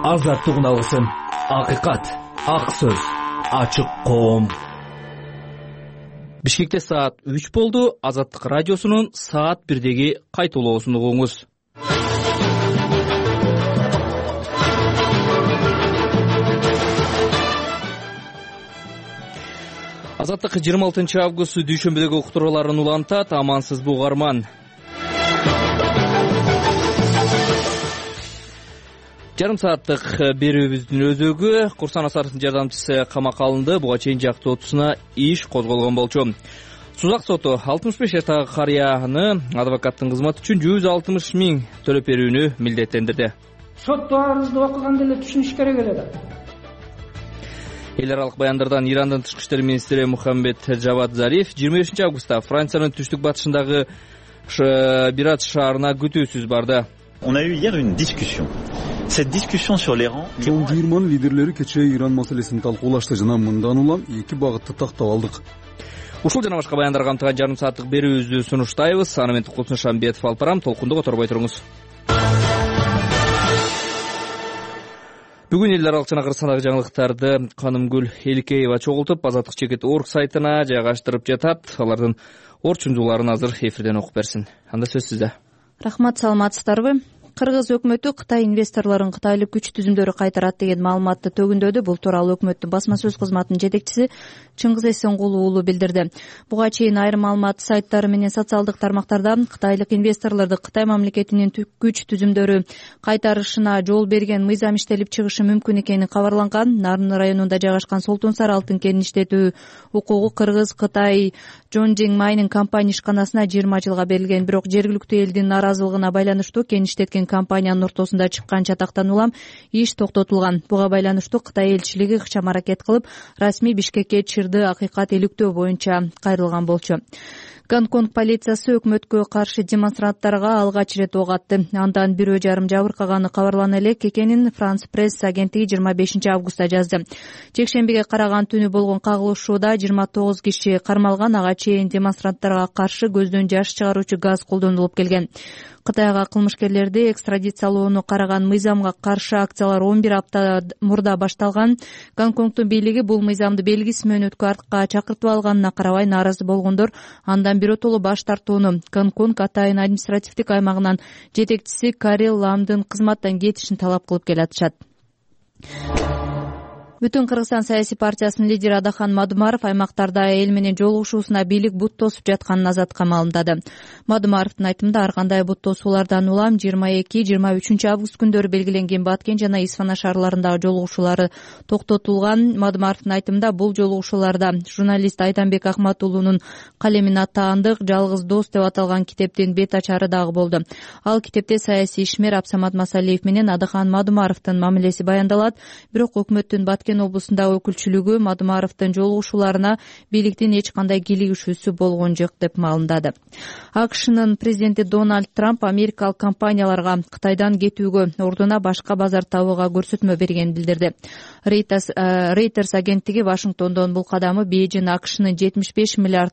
азаттык үналгысын, акыйкат, ак сөз, ачык коом. Бишкекте саат 3 болду. Азаттык радиосунун саат 1деги кайтуулоосун угуңуз. Азаттык 26 август дүйшөмбүдөгү уктурууларын улантат. Амансызбы угарман? Жарым сааттык берүүбүздүн өзөгү Курсан Асаровдун жардамчысы камакка алынды. Буга чейин жактуу отусуна иш козголгон болчу. Сузак соту 65 жаштагы карыяны адвокаттын кызматы үчүн 160 000 төлөп берүүнү милдеттендирди. Соттоо арызды окуганда эле түшүнүш керек эле да. Эл аралык баяндардан Ирандын тышкы иштер министри Мухаммед Джавад Зариф 25 августта Франциянын түштүк батышындагы Бират шаарына күтүүсүз барды. On a eu hier une discussion. Cette discussion sur l'Iran. Чоң жыйырманын лидерлери кечээ Иран маселесин талкуулашты жана мындан улам эки багытты тактап алдык. Ушул жана башка баяндар камтыган жарым сааттык берүүбүздү сунуштайбыз. Аны мен Кулсун Шамбетов алып барам. Толкунду которбой туруңуз. Бүгүн эл аралык жана Кыргызстандагы жаңылыктарды Канымгүл Эликеева чогултуп, Азаттык чекит орг сайтына жайгаштырып жатат. Алардын орчундууларын азыр эфирден окуп берсин. Анда сөз сизде. Рахмат, саламатсыздарбы? Кыргыз өкмөтү Кытай инвесторлорун кытайлык күч түзүмдөрү кайтарат деген маалыматты төгүндөдү. Бул тууралуу өкмөттүн басма сөз кызматынын жетекчиси Чыңгыз Эсенгулуу уулу билдирди. Буга чейин айрым маалымат сайттары менен социалдык тармактарда кытайлык инвесторлорду Кытай мамлекетинин күч түзүмдөрү кайтарышына жол берген мыйзам иштелип чыгышы мүмкүн экени кабарланган. Нарын районунда жайгашкан Солтун Сары алтын кенин иштетүү укугу Кыргыз-Кытай Жонжиң майнинг компания ишканасына 20 жылга берилген. Бирок жергиликтүү элдин нааразылыгына байланыштуу кен иштеткен компаниянын ортосунда чыккан чатактан улам иш токтотулган. Буга байланыштуу Кытай элчилиги ыкчам аракет кылып, расмий Бишкекке чырды акыйкат иликтөө боюнча кайрылган болчу. Гонконг полициясы өкмөткө каршы демонстранттарга алгач ирет ок атты. Андан 1,5 жабыркаганы кабарлана эле Кекенин Франс пресс агенттиги 25 августта жазды. Жекшембиге караган түнү болгон кагылышууда 29 киши кармалган. Ага чейин демонстранттарга каршы көздөн жаш чыгаруучу газ колдонулуп келген. Кытайга кылмышкерлерди экстрадициялоону караган мыйзамга каршы акциялар 11 апта мурда башталган. Гонконгдун бийлиги бул мыйзамды белгиси менен өткө артка чакыртып алганына карабай нааразы болгондор андан биротоло баш тартууну. Гонконг Атайын административдик аймагынын жетекчиси Карил Ламдын кызматтан кетишин талап кылып келатышат. Бүтүн Кыргызстан саясий партиясынын лидери Адахан Мадумаров аймактарда эл менен жолугушуусуна бийлик бут тосуп жатканын Азатка маалымдады. Мадумаровдун айтымында ар кандай бут тосуулардан улам 22-23 август күндөрү белгиленген Баткен жана Исфана шаарларындагы жолугушуулары токтотулган. Мадумаровдун айтымында бул жолугушууларда журналист Айданбек Акматуулунун калемин аттаандык жалгыз дос деп аталган китептин бет ачары дагы болду. Ал китепте саясий ишмер Абсамат Масалиев менен Адахан Мадумаровдун мамилеси баяндалат. Бирок өкмөттүн Баткен облусундагы өкүлчүлүгү Мадумаровдун жолугушууларына бийликтин эч кандай кийлигишүүсү болгон жок деп маалымдады. АКШнын президенти Дональд Трамп америкалык компанияларга Кытайдан кетүүгө ордуна башка базар табууга көрсөтмө бергенин билдирди. Reuters агенттиги Вашингтондон бул кадамы Бейжин АКШнын $75 миллиард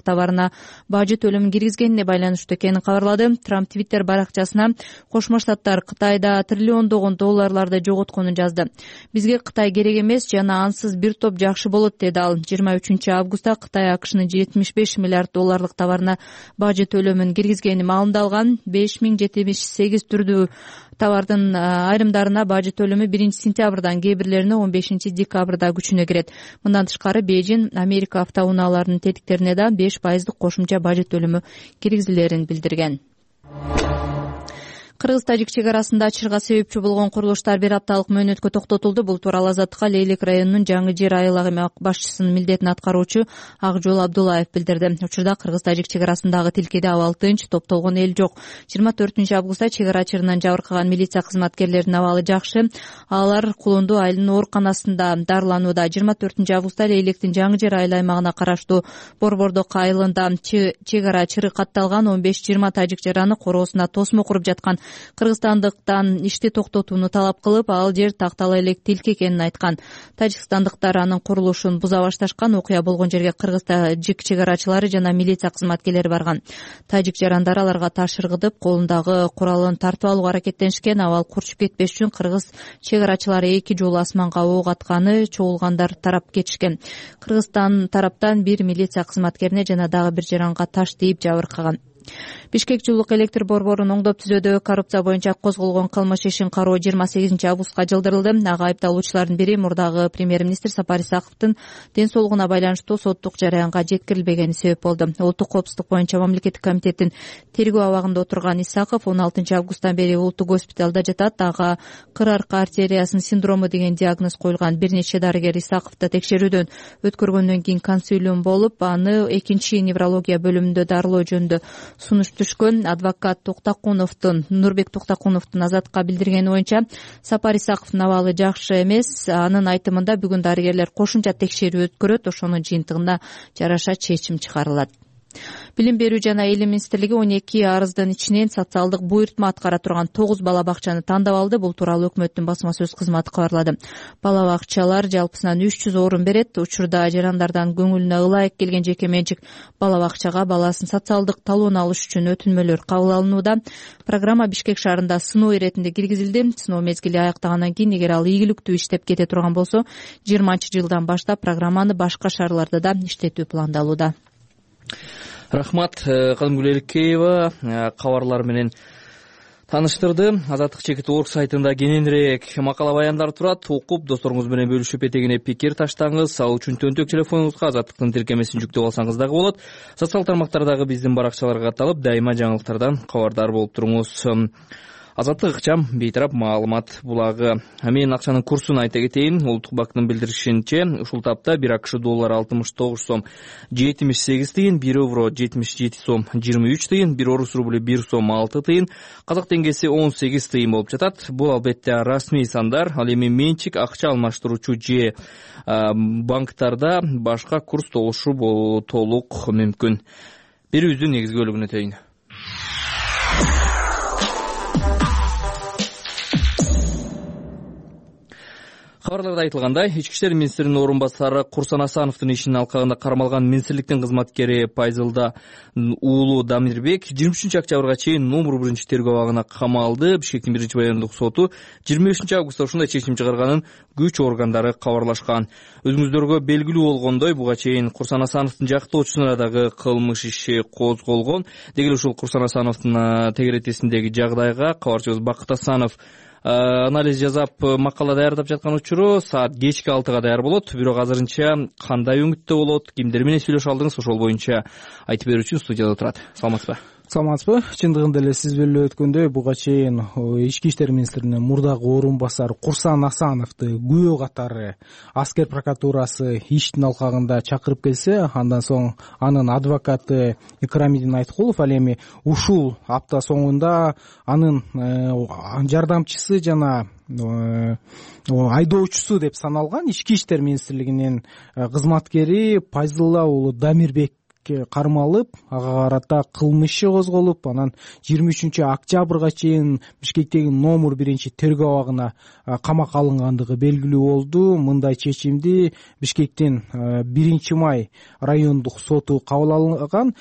товарына бажы төлөмүн киргизгенине байланыштуу экенин кабарлады. Трамп Твиттер баракчасына Кошмо Штаттар Кытайда триллиондогон долларларды жоготконун жазды. Бизге Кытай керек эмес жана ансыз бир топ жакшы болот, деди ал. 23 августта Кытай АКШнын $75 миллиард товарына бажы төлөмүн киргизгени маалымдалган. 5078 түрдүү товардын айрымдарына бажы төлөмү 1 сентябрдан, кээ бирлерине 15 декабрда күчүнө кирет. Мындан тышкары Бейжин Америка автоунааларынын тетиктерине да 5% кошумча бажы төлөмү киргизилерин билдирген. Кыргыз-Тажик чек арасында ачырга себепчи болгон курулуштар бир апталык мөөнөткө токтотулду. Бул тууралуу Азаттыкка Лейлек районунун Жаңы Жер айыл башчысынын милдетин аткаруучу Акжол Абдуллаев билдирди. Учурда Кыргыз-Тажик чек арасындагы тилкеде абал тынч, топтолгон эл жок. 24 августта чек ара чырынан жабыркаган милиция кызматкерлеринин абалы жакшы. Алар Кулунду айылынын ооруканасында дарыланууда. 24 августта Лейлектин Жаңы Жер айыл аймагына караштуу Борбордок айылында чек ара чыры катталган 15-20 тажик жараны короосуна тосмо куруп жаткан Кыргызстандыктан ишти токтотууну талап кылып, ал жер тактала элек тилк экенин айткан. Тажикстандыктар анын курулушун буза башташкан. Окуя болгон жерге кыргыз-тажик чек арачылары жана милиция кызматкерлери барган. Тажик жарандар аларга таш ыргытып, колундагы куралын тартып алууга аракеттенишкен. Абал курчуп кетпеш үчүн кыргыз чек арачылары 2 жолу асманга ок атканы, чогулгандар тарап кетишкен. Кыргызстан тараптан бир милиция кызматкерине жана дагы бир жаранга таш тийип жабыркаган. Бишкек жылуулук электр борборун оңдоп түзүүдө коррупция боюнча козголгон кылмыш ишин кароо 28-августка жылдырылды. Ага айыпталуучулардын бири мурдагы премьер-министр Сапар Исаковдун ден соолугуна байланыштуу соттук жараянга жеткирилбегени себеп болду. Улуттук коопсуздук боюнча мамлекеттик комитеттин тергөө абагында отурган Исаков 16-августтан бери улуттук госпиталда жатат. Ага кыр арка артериясынын синдрому деген диагноз коюлган. Бир нече дарыгер Исаковду текшерүүдөн өткөргөндөн кийин консилиум болуп, аны 2 неврология бөлүмүндө дарылоо жөнүндө сунуш түшкөн. Адвокат Нурбек Токтакуновдун Азатка билдиргени боюнча, Сапар Исаковдун абалы жакшы эмес. Анын айтымында бүгүн дарыгерлер кошумча текшерүү өткөрөт, ошонун жыйынтыгында жараша чечим чыгарылат. Билим берүү жана Эйлим министрлиги 12 арыздын ичинен социалдык буйртма аткара турган 9 бала бакчаны тандап алды. Бул тууралуу өкмөттүн басма сөз кызматы кабарлады. Бала бакчалар жалпысынан 300 орун берет. Учурда жарандардан көңүлүнө ылайык келген жеке менчик бала бакчага баласын социалдык талоон алыш үчүн өтүнмөлөр кабыл алынууда. Программа Бишкек шаарында сыноо иретинде киргизилди. Сыноо мезгили аяктагандан кийин, эгер ал ийгиликтүү иштеп кете турган болсо, 20-жылдан баштап программаны башка шаарларда да иштетүү пландалууда. Рахмат, Кадымгүл Эркеева кабарлар менен тааныштырды. Азаттык.org сайтында кененирээк макала баяндар турат. Окуп, досторуңуз менен бөлүшүп, этегине пикир таштаңыз. Ал үчүн төнтөк телефонуңузга Азаттыктын тиркемесин жүктөп алсаңыз дагы болот. Социал тармактардагы биздин баракчаларга катталып, дайыма жаңылыктардан кабардар болуп туруңуз. Азаттык ыкчам бейтарап маалымат булагы. Мен акчанын курсун айта кетейин. Улуттук банктын билдиришинче, ушул тапта 1 АКШ доллары 69 сом 78 тыйын, 1 евро 77 сом 23 тыйын, 1 орус рубль 1 сом 6 тыйын, казак теңгеси 18 тыйын болуп жатат. Бул албетте расмий сандар. Ал эми менчик акча алмаштыруучу же банктарда башка курс толушу толук мүмкүн. Берүүбүздүн негизги бөлүгүнө өтөйүн. Кабарларда айтылгандай, Ички иштер министринин орун басары Курсан Асановдун ишинин алкагында кармалган министрликтин кызматкери Пайзылда уулу Дамирбек 23 октябрга чейин номер 1 тергөө абагына камалды. Бишкектин 1 райондук соту 25 августта ушундай чечим чыгарганын күч органдары кабарлашкан. Өзүңүздөргө белгилүү болгондой, буга чейин Курсан Асановдун жактоочусуна дагы кылмыш иши козголгон. Деги эле ушул Курсан Асановдун тегеретесиндеги жагдайга кабарчыбыз Бакыт Асанов анализ жасап макала даярдап жаткан учуру саат кечки 6-га даяр болот. Бирок азырынча кандай өңүттө болот, кимдер менен сүйлөшө алдыңыз, ошол боюнча айтып берүү үчүн студияда турат. Саламатсызбы? Саламатсызбы? Чындыгында эле сиз белип өткөндөй, буга чейин Ички иштер министринин мурдагы орун басары Курсан Асановду күбө катары аскер прокуратурасы иштин алкагында чакырып келсе, андан соң анын адвокаты Икрамидин Айткулов ал эми ушул апта соңунда анын жардамчысы жана айдоочусу деп саналган Ички иштер министрлигинин кызматкери Пайзылла уулу Дамирбек кармалып, ага карата кылмыш иши козголуп, анан 23 октябрга чейин Бишкектеги номер 1 тергөө абагына камакка алынгандыгы белгилүү болду. Мындай чечимди Бишкектин 1 май райондук соту кабыл алган.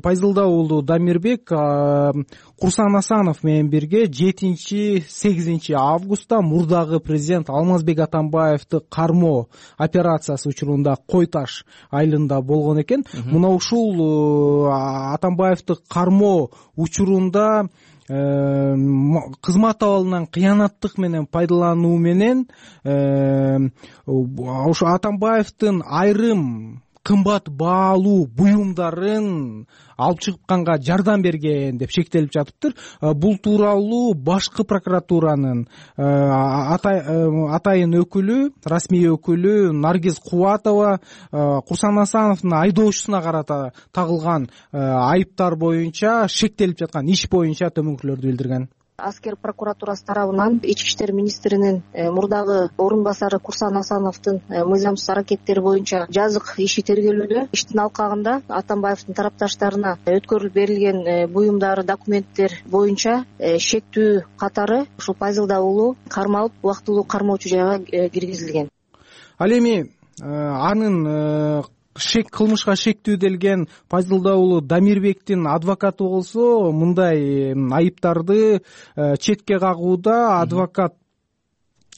Пайзылда уулу Дамирбек Курсан Асанов менен бирге 7-8 августта мурдагы президент Алмазбек Атамбаевди кармоо операциясы учурунда Кой Таш айылында болгон экен. Мына ушул Атамбаевди кармоо учурунда кызмат абалынан кыянаттык менен пайдалануу менен ошо Атамбаевдин айрым кымбат баалуу буюмдарын алып чыкканга жардам берген деп шектелип жатыптыр. Бул тууралуу башкы прокуратуранын атайын өкүлү, расмий өкүлү Наргиз Кубатова Курсан Асановдун айдоочусуна карата тагылган айыптар боюнча, шектелип жаткан иш боюнча төмөнкүлөрдү билдирген. Аскер прокуратурасы тарабынан ички иштер министринин мурдагы орун басары Курсан Асановдун мыйзамсыз аракеттери боюнча жазык иши тергелүүдө. Иштин алкагында Атамбаевдин тарапташтарына өткөрүлүп берилген буюмдар, документтер боюнча шектүү катары ушул Пазилда уулу кармалып, убактылуу кармоочу жайга киргизилген. Ал эми анын кылмышка шектүүделген Пазилда уулу Дамирбектин адвокаты болсо мындай айыптарды четке кагууда. Адвокат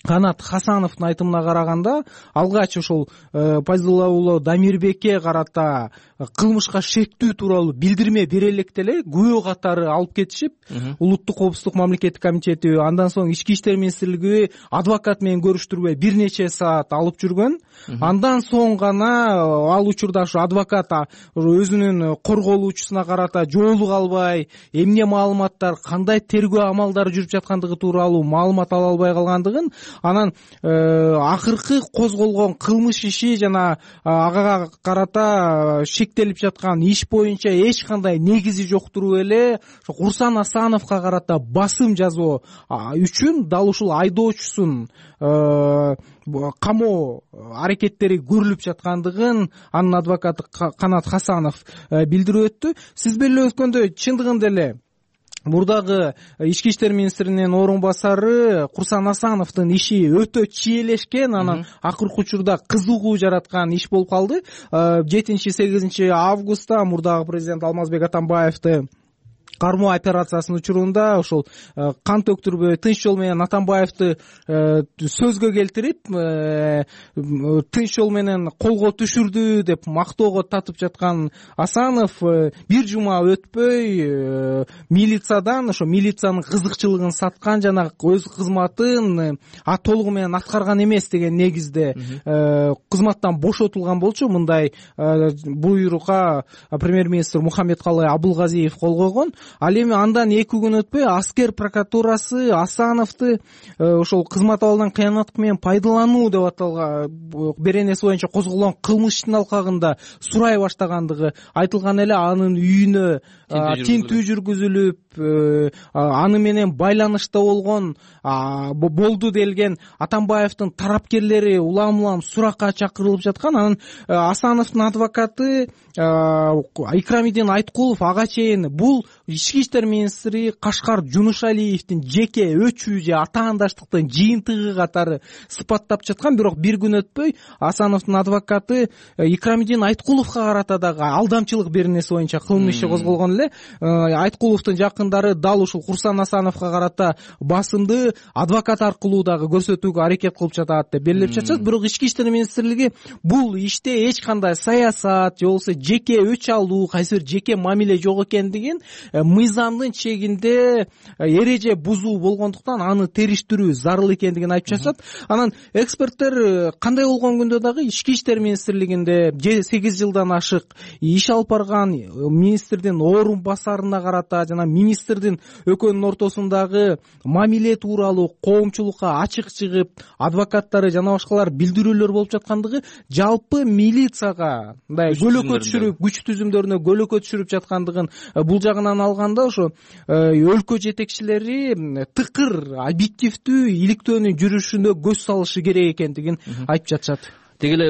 Канат Хасановдун айтымына караганда, алгач ошол Пазилда уулу Дамирбекке карата кылмышка шектүү тууралуу билдирме бере электе эле күбө катары алып кетишип, Улуттук коопсуздук мамлекеттик комитети, андан соң Ички иштер министрлиги адвокат менен көрүштүрбөй бир нече саат алып жүргөн. Андан соң гана ал учурда ушу адвокат өзүнүн корголуучусуна карата жоолук албай, эмне маалыматтар, кандай тергөө амалдары жүрүп жаткандыгы тууралуу маалымат ала албай калгандыгын, анан акыркы козголгон кылмыш иши жана ага карата шектелип жаткан иш боюнча эч кандай негизи жок туруп эле Курсан Асановго карата басым жасоо үчүн дал ушул айдоочусун камоо аракеттери көрүлүп жаткандыгын анын адвокаты Канат Хасанов билдирип өттү. Сиз беле өткөндө чындыгында эле мурдагы ички иштер министринин орун басары Курсан Асановдун иши өтө чиелешкен, анан акыркы учурда кызыгуу жараткан иш болуп калды. 7-8 августта мурдагы президент Алмазбек Атамбаевди кармоо операциясынын учурунда ошол кан төктүрбөй тынч жол менен Атамбаевди сөзгө келтирип, тынч жол менен колго түшүрдү деп мактоого татып жаткан Асанов бир жума өтпөй милициядан ошо милициянын кызыкчылыгын саткан жана өз кызматын толугу менен аткарган эмес деген негизде кызматтан бошотулган болчу. Мындай буйрука премьер-министр Мухаммедкалый Абылгазиев кол койгон. Ал эми андан 2 күн өтпөй Аскер прокуратурасы Асановду ошол кызмат абалдан кыянаттык менен пайдалануу деп аталган беренеси боюнча козголгон кылмыштын алкагында сурай баштагандыгы айтылган эле. Анын үйүнө тинтүү жүргүзүлүп, аны менен байланышта болду делген Атамбаевдин тарапкерлери улам суракка чакырылып жаткан. Анан Асановдун адвокаты Икрамидин Айткулов ага чейин бул ички иштер министри Кашкар Жунушалиевдин жеке өчүү же атаандаштыктын жыйынтыгы катары сыпаттап жаткан. Бирок бир күн өтпөй Асановдун адвокаты Икрамидин Айткуловго карата дагы алдамчылык беренеси боюнча кылмыш иши козголгон эле. Айткуловдун жакындары дал ушул Курсан Асановго карата басымды адвокат аркылуу дагы көрсөтүүгө аракет кылып жатат деп белгилеп жатышат. Бирок ички иштер министрлиги бул иште эч кандай саясат же болбосо жеке өч алуу, кайсы бир жеке мамиле жок экендигин, мыйзамдын чегинде эреже бузуу болгондуктан аны териштирүү зарыл экендигин айтып жатышат. Анан эксперттер кандай болгон күндө дагы ички иштер министрлигинде 8 жылдан ашык иш алып барган министрдин орун басарына карата жана министрдин экөөнүн ортосундагы мамиле тууралуу коомчулукка ачык чыгып, адвокаттары жана башкалар билдирүүлөр болуп жаткандыгы, жалпы милицияга мындай көлөкө түшүрүп, күч түзүмдөрүнө көлөкө түшүрүп жаткандыгын, бул жагынан алганда ошо өлкө жетекчилери тыкыр, объективдүү, иликтөөнүн жүрүшүнө көз салышы керек экендигин айтып жатышат. Деги эле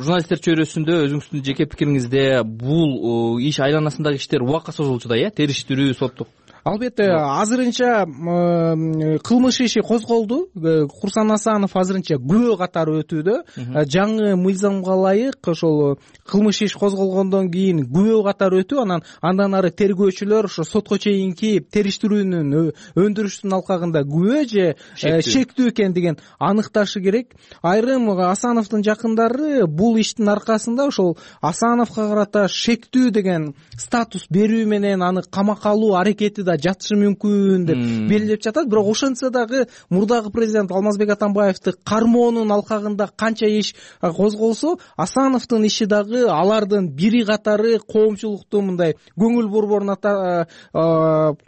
журналисттер чөйрөсүндө өзүңүздүн жеке пикириңизде бул иш айланасындагы иштер убакка созулчу да, териштирүү, соттук? Албетте, азырынча кылмыш иши козголду. Курсан Асанов азырынча күбө катары өтүүдө. Жаңы мыйзамга ылайык ошол кылмыш иш козголгондон кийин күбө катары өтүү, андан ары тергөөчүлөр ошо сотко чейинки териштирүүнүн өндүрүштүн алкагында күбө же шектүү экендигин аныкташы керек. Айрым Асановдун жакындары бул иштин аркасында ошол Асановго карата шектүү деген статус берүү менен аны камакка алуу аракети жатышы мүмкүн деп белгилеп жатат. Бирок ошентсе дагы мурдагы президент Алмазбек Атамбаевди кармоонун алкагында канча иш козголсо, Асановдун иши дагы алардын бири катары коомчулукту мындай көңүл борборуна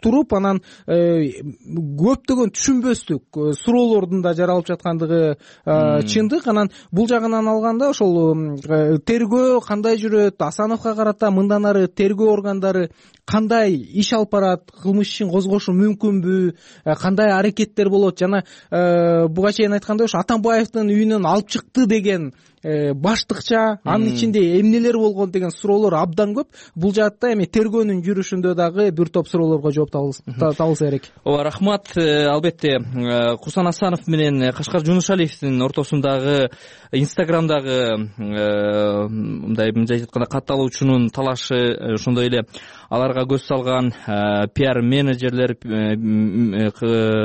туруп, анан көптөгөн түшүнбөстүк суроолордун да жаралып жаткандыгы чындык. Анан бул жагынан алганда ошол тергөө кандай жүрөт, Асановго карата мындан ары тергөө органдары кандай иш алып барат, кылмыш ишин козгошу мүмкүнбү, кандай аракеттер болот, жана буга чейин айткандай ошо Атамбаевдин үйүнөн алып чыкты деген баштыкча анын ичинде эмнелер болгон деген суроолор абдан көп. Бул жаатта эми тергөөнүн жүрүшүндө дагы бир топ суроолорго жооп табылса керек. Ооба, рахмат. Албетте Курсан Асанов менен Кашкар Жунушалиевдин ортосундагы Инстаграмдагы мындай айтканда катталуучунун талашы, ошондой эле аларга көз салган пиар менеджерлер,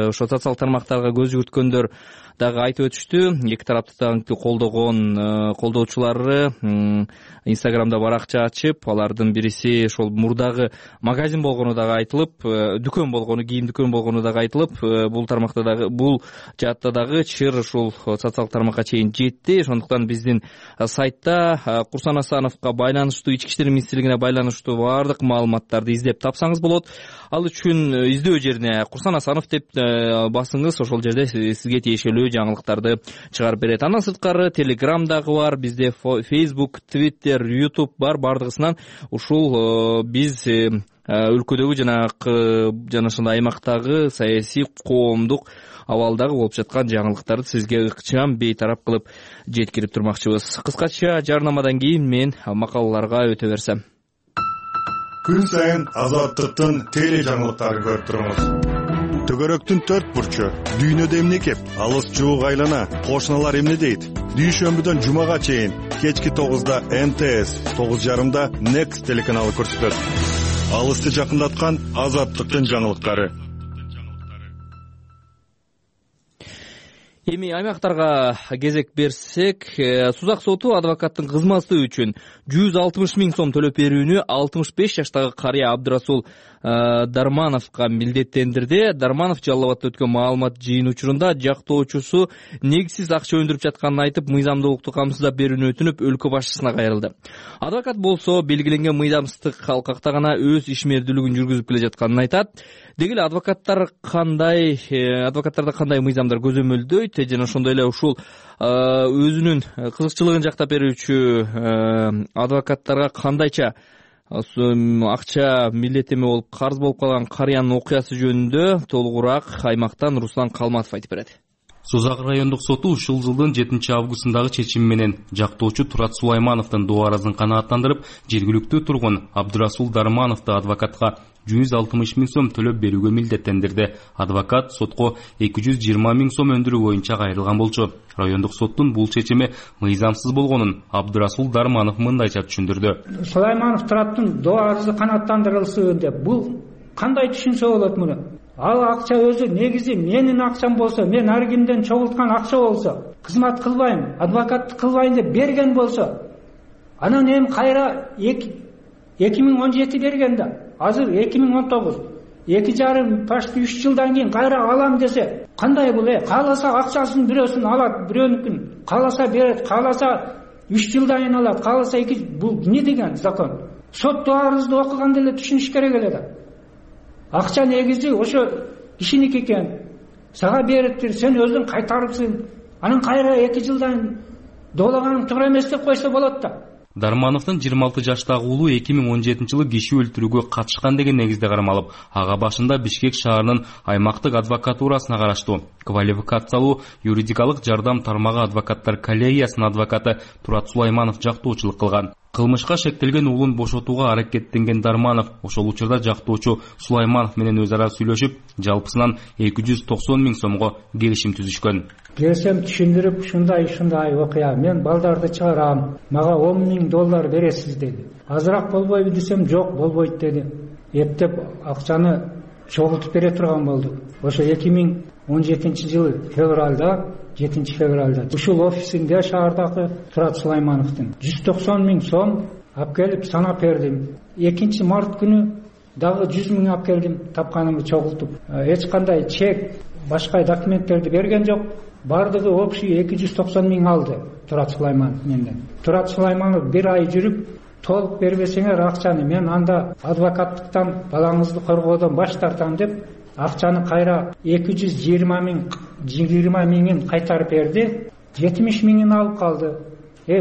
ошо социалдык тармактарга көз жүгүрткөндөр дагы айтып өтүштү. Эки тарапты дагы колдоочулары Инстаграмда баракча ачып, алардын бириси ошол мурдагы магазин болгону дагы айтылып, дүкөн болгону, кийим дүкөн болгону дагы айтылып, бул тармакта дагы, бул жаатта дагы чыр ушул социалдык тармакка чейин жетти. Ошондуктан биздин сайтта Курсан Асановго байланыштуу, Ички иштер министрлигине байланыштуу баардык маалыматтарды издеп тапсаңыз болот. Ал үчүн издөө жерине Курсан Асанов деп басыңыз, ошол жерде сизге тиешелүү жаңылыктарды чыгарып берет. Андан сырткары Telegram дагы бар, бизде Facebook, Twitter, YouTube бар. Бардыгысынан ушул биз өлкөдөгү жана ошондой аймактагы саясий, коомдук абалдагы болуп жаткан жаңылыктарды сизге ыкчам бейтарап кылып жеткирип турмакчыбыз. Кыскача жарнамадан кийин мен макалаларга өтө берсем. Күн сайын Азаттыктын теле жаңылыктарын көрүп туруңуз. Төгөрөктүн 4 бурчу, дүйнөдө эмне кеп, алыс жуук айлана, кошуналар эмне дейт? Дүйшөмбүдөн жумага чейин кечки 9да МТС, 9:30да Next телеканалы көрсөтөт. Алысты жакындаткан Азаттыктын жаңылыктары. Эми аймактарга кезек берсек, Сузак соту адвокаттын кызматы үчүн 160 000 сом төлөп берүүнү 65 жаштагы карыя Абдырасул Дармановго милдеттендирди. Дарманов Жалал Абадта өткөн маалымат жыйын учурунда жактоочусу негизсиз акча өндүрүп жатканын айтып, мыйзамдуулукту камсыздап берүүнү өтүнүп, өлкө башчысына кайрылды. Адвокат болсо белгиленген мыйзамсыздык алкакта гана өз ишмердүүлүгүн жүргүзүп келе жатканын айтат. Деги эле адвокаттарда кандай мыйзамдар көзөмөлдөйт жана ошондой эле ушул өзүнүн кызыкчылыгын жактап берүүчү адвокаттарга кандайча акча милдеттеме болуп карыз болуп калган карыянын окуясы жөнүндө толугураак аймактан Руслан Калматов айтып берет. Сузак райондук соту ушул жылдын 7 августундагы чечими менен жактоочу Турат Сулаймановдун доо аразын канааттандырып, жергиликтүү тургун Абдырасул Дармановду адвокатка 160 000 сом төлөп берүүгө милдеттендирди. Адвокат сотко 220 000 сом өндүрүү боюнча кайрылган болчу. Райондук соттун бул чечими мыйзамсыз болгонун Абдырасул Дарманов мындайча түшүндүрдү. Сулайманов Тураттын доо арызы канааттандырылсын деп, бул кандай түшүнсө болот муну? Ал акча өзү негизи менин акчам болсо, мен ар кимден чогулткан акча болсо, кызмат кылбайм, адвокатты кылбайм деп берген болсо, анан эми кайра 2017 берген да, азыр 2019, 2,5 почти 3 жылдан кийин кайра алам десе, кандай бул? Кааласа акчасын бирөөсүн алат, бирөөнүкүн кааласа берет, кааласа 3 жылдан кийин алат, кааласа 2. Бул эмне деген закон? Сот арызды окуганда эле түшүнүш керек эле да. Акча негизи ошо кишиники экен. Сага бериптир, сен өзүң кайтарыпсың. Анан кайра 2 жылдан доологаның туура эмес деп койсо болот да. Дармановдун 26 жаштагы уулу 2017-жылы киши өлтүрүүгө катышкан деген негизде кармалып, ага башында Бишкек шаарынын аймактык адвокатурасына караштуу квалификациялуу юридикалык жардам тармагы адвокаттар коллегиясынын адвокаты Турат Сулайманов жактоочулук кылган. Кылмышка шектелген уулун бошотууга аракеттенген Дарманов ошол учурда жактоочу Сулайманов менен өз ара сүйлөшүп, жалпысынан 290 000 сомго келишим түзүшкөн. Келсем түшүндүрүп, ушундай окуя, мен балдарды чыгарам, мага $10,000 бересиз деди. Азыраак болбойбу десем, жок, болбойт деди. Эптеп акчаны чогултуп бере турган болду. Ошо 2017-жылы февралда, 7-февралда ушул офисинде шаардагы Турат Сулаймановдун 190 000 сом алып келип санап бердим. 2-март күнү дагы 100 000 алып келдим, тапканымды чогултуп. Эч кандай чек, башка документтерди берген жок. Бардыгы общий 290 000 алды Турат Сулайманов менден. Турат Сулайманов 1 ай жүрүп, толук бербесеңер акчаны мен анда адвокаттыктан балаңызды коргоодон баш тартам деп акчаны кайра 220 000 кайтарып берди. 70 000 алып калды.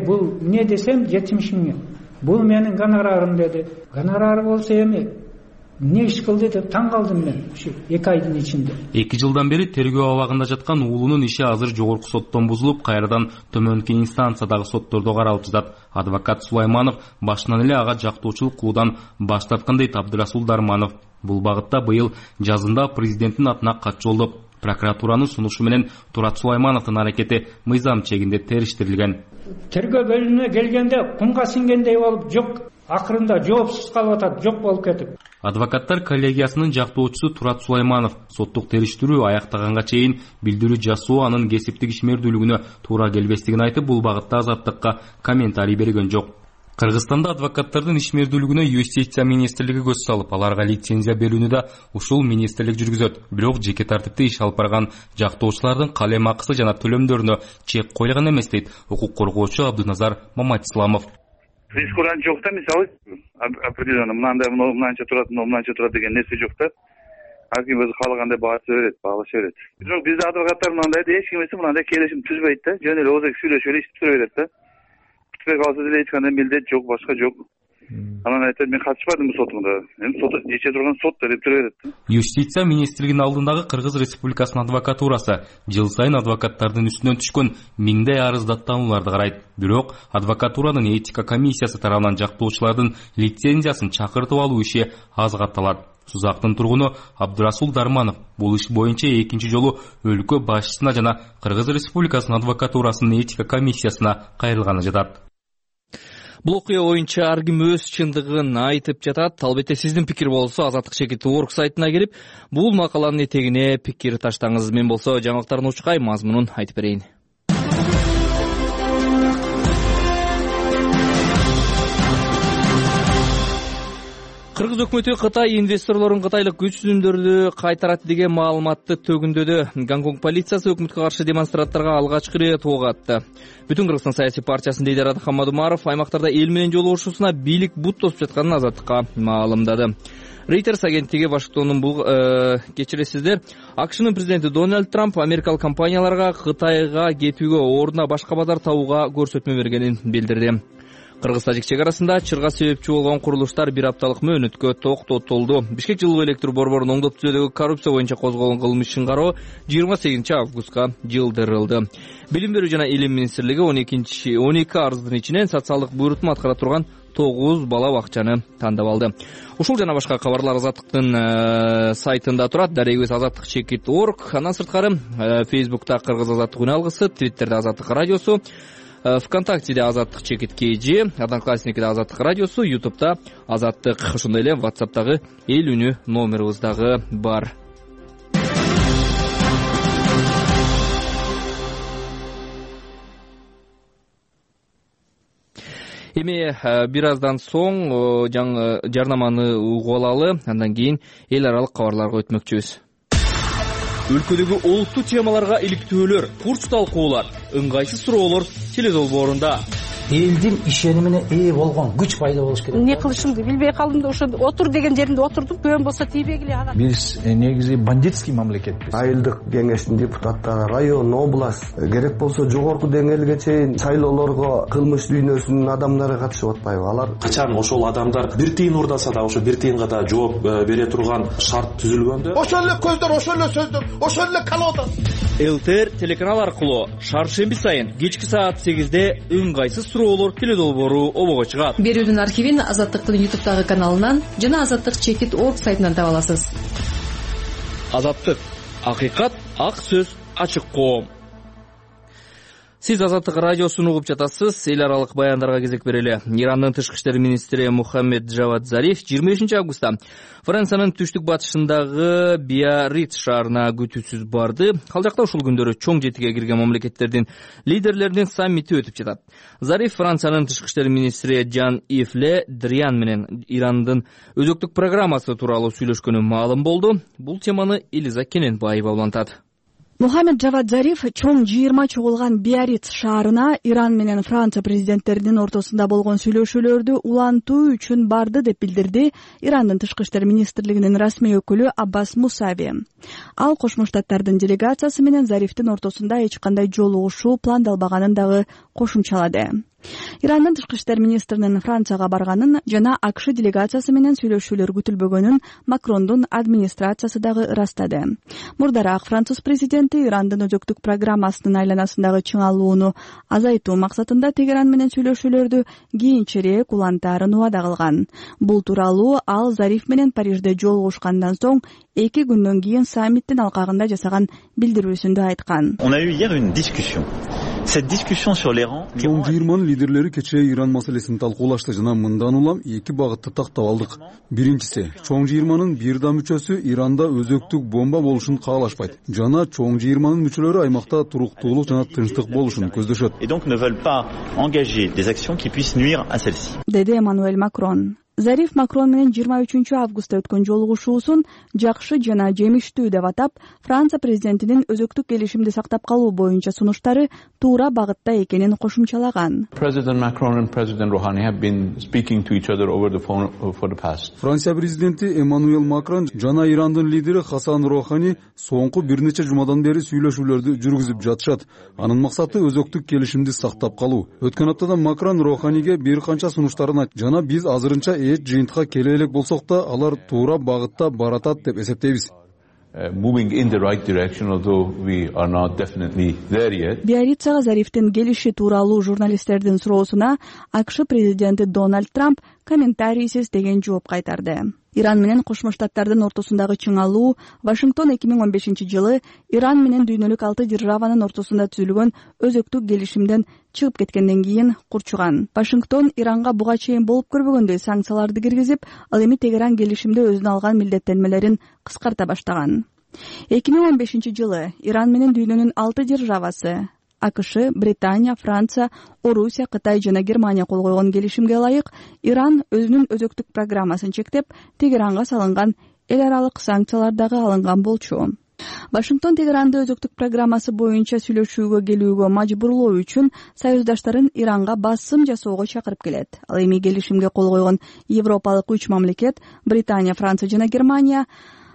Бул эмне десем, 70 000. Бул менин гонорарым деди. Гонорары болсо эми эмне иш кылды деп таң калдым мен ушу 2 айдын ичинде. 2 жылдан бери тергөө абагында жаткан уулунун иши азыр жогорку соттон бузулуп, кайрадан төмөнкү инстанциядагы соттордо каралып жатат. Адвокат Сулайманов башынан эле ага жактоочулук кылуудан баш тарткан дейт Абдырасул Дарманов. Бул багытта быйыл жазында президенттин атына кат жолдоп, прокуратуранын сунушу менен Турат Сулаймановдун аракети мыйзам чегинде териштирилген. Тергөө бөлүмүнө келгенде кумга сиңгендей болуп, жок, акырында жоопсуз калып атат, жок болуп кетип. Адвокаттар коллегиясынын жактоочусу Турат Сулайманов соттук териштирүү аяктаганга чейин билдирүү жасоо анын кесиптик ишмердүүлүгүнө туура келбестигин айтып, бул багытта Азаттыкка комментарий берген жок. Кыргызстанда адвокаттардын ишмердүүлүгүнө Юстиция министрлиги көз салып, аларга лицензия берүүнү да ушул министрлик жүргүзөт. Бирок жеке тартипте иш алып барган жактоочулардын калем акысы жана төлөмдөрүнө чек койгон эмес дейт укук коргоочу Абдыназар Маматисламов. Прескурант жок да, мисалы определенно мынанча турат деген нерсе жок да. Аким өзү каалагандай баалаша берет. Бирок бизде адвокаттар мындай эч кимесе мындай келишим түзбөйт да, жөн эле озак сүйлөшүп эле иштеп тура берет да. Калса деле эч кандай милдет жок, башка жок. Анан айтат, мен катышпадым сотумда. Эми сот иче турган сот деп тура берет. Юстиция министрлигинин алдындагы Кыргыз Республикасынын адвокатурасы жыл сайын адвокаттардын үстүнөн түшкөн миңдей арыз даттанууларды карайт. Бирок адвокатуранын этика комиссиясы тарабынан жактоочулардын лицензиясын чакыртып алуу иши аз катталат. Сузактын тургуну Абдырасул Дарманов бул иш боюнча экинчи жолу өлкө башчысына жана Кыргыз Республикасынын адвокатурасынын этика комиссиясына кайрылганы жатат. Бул окуя боюнча ар ким өз чындыгын айтып жатат. Албетте сиздин пикир болсо Азаттык чекит орг сайтына кирип, бул макаланын этегине пикир таштаңыз. Мен болсо жаңылыктардын учкай мазмунун айтып берейин. Кыргыз өкмөтү Кытай инвесторлорун кытайлык күчтүндөрдү кайтарат деген маалыматты төгүндөдү. Гонконг полициясы өкмөткө каршы демонстранттарга алгачкы ирет ок атты. Бүтүн Кыргызстан саясий партиясынын лидери Адахан Мадумаров аймактарда эл менен жолугушуусуна бийлик бут тосуп жатканын Азаттыкка маалымдады. Reuters агенттиги Вашингтондун бул кечиресиздер, АКШнын президенти Дональд Трамп америкалык компанияларга Кытайга кетүүгө ордуна башка базар табууга көрсөтмө бергенин билдирди. Кыргыз-тажик чек арасында чырга себепчи болгон курулуштар 1 апталык мөөнөткө токтотулду. Бишкек жылуу электр борборунун оңдоп түзүүдөгү коррупция боюнча козголгон кылмыш ишин кароо 28 августка жылдырылды. Билим берүү жана илим министрлиги 12 арыздын ичинен социалдык буйрутма аткара турган 9 бала бакчаны тандап алды. Ушул жана башка кабарлар Азаттыктын сайтында турат. Дарегибиз azattikchekit.org. Андан сырткары Facebook'та Кыргыз Азаттык үн алгысы, Twitter'де Азаттык радиосу, ВКонтактеде Азаттык чекит KG, Одноклассникиде Азаттык радиосу, YouTube'да Азаттык, ошондой эле WhatsApp'тагы эл үнү номерибиз дагы бар. Эми бир аздан соң жарнаманы угуп алалы, андан кийин эл аралык кабарларга өтмөкчүбүз. Өлкөдөгү олуттуу темаларга иликтөөлөр, курч талкуулар, ыңгайсыз суроолор теледолбоорунда. Элдин ишенимине ээ болгон күч пайда болуш керек. Эмне кылышымды билбей калдым да ошо отур деген жеримде отурдум. Көн болсо тийбегиле ага. Биз негизи бандитский мамлекетпиз. Айылдык кеңештин депутаттары, район, область, керек болсо жогорку деңгээлге чейин шайлоолорго кылмыш дүйнөсүнүн адамдары катышып атпайбы? Алар качан ошол адамдар бир тыйын урдаса да ошо бир тыйынга да жооп бере турган шарт түзүлгөндө ошол эле көздөр, ошол эле сөздөр, ошол эле колода. ЛТР телеканал аркылуу шаршемби сайын кечки саат 8-де ыңгайсыз суроолор теледолбоору обого чыгат. Берүүнүн архивин Азаттыктын YouTube'дагы каналынан жана azattikchekit.org сайтынан таба аласыз. Азаттык, акыйкат, ак сөз, ачык коом. Сиз Азаттык радиосун угуп жатасыз. Эл аралык баяндарга кезек берели. Ирандын тышкы иштер министри Мухаммед Джавад Зариф 25 августта Франциянын түштүк батышындагы Биарриц шаарына күтүүсүз барды. Ал жакта ушул күндөрү чоң жетиге кирген мамлекеттердин лидерлеринин саммити өтүп жатат. Зариф Франциянын тышкы иштер министри Жан-Ив Ле Дриан менен Ирандын өзөктүк программасы тууралуу сүйлөшкөнү маалым болду. Бул теманы Элиза Кененбаева улантат. Мухаммед Джавад Зариф чоң жыйырма чогулган Биарриц шаарына Иран менен Франция президенттеринин ортосунда болгон сүйлөшүүлөрдү улантуу үчүн барды деп билдирди Ирандын тышкы иштер министрлигинин расмий өкүлү Аббас Мусави. Ал Кошмо Штаттардын делегациясы менен Зарифтин ортосунда эч кандай жолугушуу пландалбаганын дагы кошумчалады. Ирандын тышкы иштер министринин Францияга барганын жана АКШ делегациясы менен сүйлөшүүлөр күтүлбөгөнүн Макрондун администрациясы дагы ырастады. Мурдараак француз президенти Ирандын өзөктүк программасынын айланасындагы чыңалууну азайтуу максатында Тегеран менен сүйлөшүүлөрдү кийинчерээк улантаарын убада кылган. Бул тууралуу ал Зариф менен Парижде жолугушкандан соң 2 күндөн кийин саммиттин алкагында жасаган билдирүүсүндө айткан. On a eu hier une discussion. Cette discussion sur l'Iran. Чоң жыйырманын лидерлери кечээ Иран маселесин талкуулашты жана мындан улам 2 багытты тактап алдык. Биринчиси, чоң жыйырманын бир да мүчөсү Иранда өзөктүк бомба болушун каалашпайт жана чоң жыйырманын мүчөлөрү аймакта туруктуулук жана тынчтык болушун көздөшөт. Et donc ne veulent pas engager des actions qui puissent nuire à celle-ci. Деди Эммануэль Макрон. Зариф Макрон менен 23 августта өткөн жолугушуусун жакшы жана жемиштүү деп атап, Франция президентинин өзөктүк келишимди сактап калуу боюнча сунуштары туура багытта экенин кошумчалаган. Франция президенти Эммануэль Макрон жана Ирандын лидери Хасан Рохани соңку бир нече жумадан бери сүйлөшүүлөрдү жүргүзүп жатышат. Анын максаты өзөктүк келишимди сактап калуу. Өткөн аптада Макрон Роханиге бир канча сунуштарын айтты жана биз азырынча жыйынтыкка келе элек болсок да, алар туура багытта баратат деп эсептейбиз. Биаррицага Зарифтин келиши тууралуу журналисттердин суроосуна АКШ президенти Дональд Трамп комментарийсиз деген жооп кайтарды. Иран менен Кошмо Штаттардын ортосундагы чыңалуу Вашингтон 2015-жылы Иран менен дүйнөлүк 6 державанын ортосунда түзүлгөн өзөктүк келишимден чыгып кеткенден кийин курчуган. Вашингтон Иранга буга чейин болуп көрбөгөндөй санкцияларды киргизип, ал эми Тегеран келишимде өзүнө алган милдеттенмелерин кыскарта баштаган. 2015-жылы Иран менен дүйнөнүн 6 державасы АКШ, Британия, Франция, Орусия, Кытай жана Германия кол койгон келишимге ылайык Иран өзүнүн өзөктүк программасын чектеп, Тегеранга салынган эл аралык санкциялар дагы алынган болчу. Вашингтон Тегеранды өзөктүк программасы боюнча сүйлөшүүгө келүүгө мажбурлоо үчүн союздаштарын Иранга басым жасоого чакырып келет. Ал эми келишимге кол койгон Европалык 3 мамлекет Британия, Франция жана Германия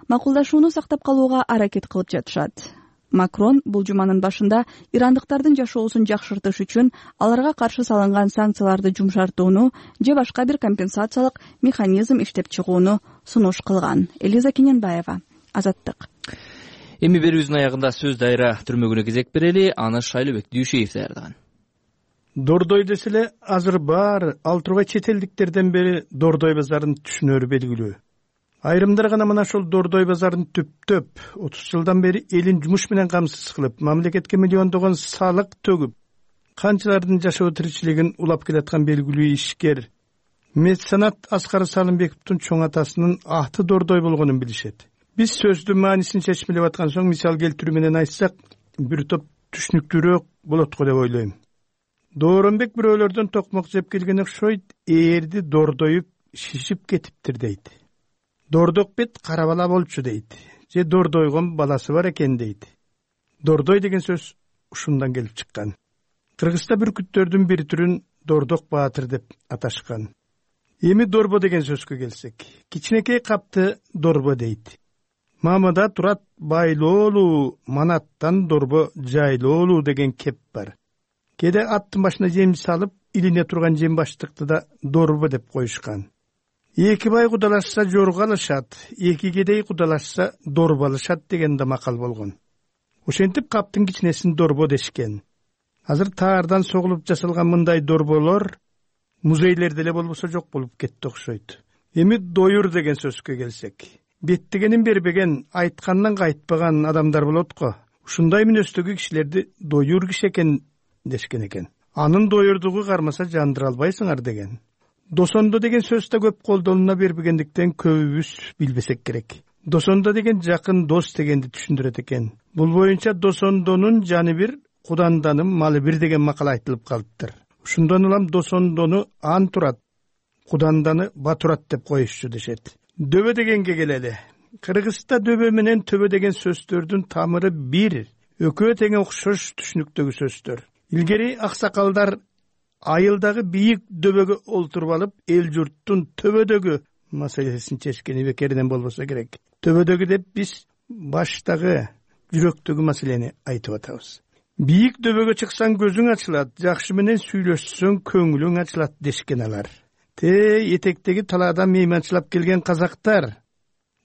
макулдашууну сактап калууга аракет кылып жатышат. Макрон бул жуманын башында ирандыктардын жашоосун жакшыртыш үчүн аларга каршы салынган санкцияларды жумшартууну же башка бир компенсациялык механизм иштеп чыгууну сунуш кылган. Элиза Кененбаева, Азаттык. Эми берүүбүздүн аягында сөз дайра түрмөгүнө кезек берели, аны Шайлыбек Дүйшеев даярдаган. Дордой деселе азыр бар ал тургай чет элдиктерден бери Дордой базарын түшүнөрү белгилүү. Айрымдар гана мына ошол Дордой базарын түптөп 30 жылдан бери элин жумуш менен камсыз кылып, мамлекетке миллиондогон салык төгүп, канчалардын жашоо тиричилигин улап келаткан белгилүү ишкер меценат Аскар Салымбековдун чоң атасынын аты Дордой болгонун билишет. Биз сөздүн маанисин чечмелеп аткан соң мисал келтирүү менен айтсак, бир топ түшүнүктүүрөөк болот го деп ойлойм. Дооронбек бирөөлөрдөн токмок жеп келген окшойт, ээрди дордоюп шишип кетиптир дейт. Дордок бет кара бала болчу дейт. Же дордойгон баласы бар экен дейт. Дордой деген сөз ушундан келип чыккан. Кыргызста бүркүттөрдүн бир түрүн Дордок баатыр деп аташкан. Эми дорбо деген сөзгө келсек, кичинекей капты дорбо дейт. Мамада турат байлоолуу, манаттан дорбо жайлоолуу деген кеп бар. Кеде аттын башына жем салып, илине турган жем баштыкты да дорбо деп коюшкан. Эки бай кудалашса жоргалышат, эки кедей кудалашса дорбалышат деген да макал болгон. Ошентип каптын кичинесин дорбо дешкен. Азыр таардан согулуп жасалган мындай дорболор музейлерде эле болбосо жок болуп кетти окшойт. Эми доюр деген сөзгө келсек, беттигенин бербеген, айткандан кайтпаган адамдар болот го. Ушундай мүнөздөгү кишилерди доюр киши экен дешкен экен. Анын доюрдугу кармаса жандыра албайсыңар деген. Досондо деген сөз да көп колдонула бербегендиктен көбүбүз билбесек керек. Досондо деген жакын дос дегенди түшүндүрөт экен. Бул боюнча досондонун жаны бир, куданданын малы бир деген макал айтылып калыптыр. Ушундан улам досондону ан турат, куданданы батурат деп коюшчу дешет. Дөбө дегенге келели. Кыргызста дөбө менен төбө деген сөздөрдүн тамыры бир, экөө тең окшош түшүнүктөгү сөздөр. Илгери аксакалдар айылдагы бийик дөбөгө олтуруп алып, эл журттун төбөдөгү маселесин чечкени бекеринен болбосо керек. Төбөдөгү деп биз баштагы, жүрөктөгү маселени айтып атабыз. Бийик дөбөгө чыксаң көзүң ачылат, жакшы менен сүйлөшсөң көңүлүң ачылат дешкен алар. Этектеги талаадан мейманчылап келген казактар,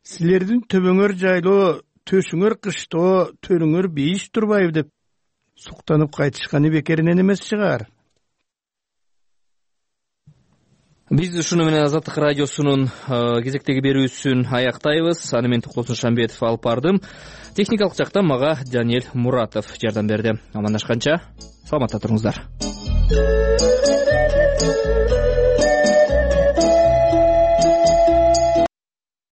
силердин төбөңөр жайлоо, төшүңөр кыштоо, төрүңөр бейиш турбайбы деп суктанып кайтышканы бекеринен эмес чыгар. Биз ушуну менен Азаттык радиосунун кезектеги берүүсүн аяктайбыз. Аны мен Токтосун Шамбетов алып бардым. Техникалык жактан мага Даниэль Муратов жардам берди. Амандашканча саламатта туруңуздар.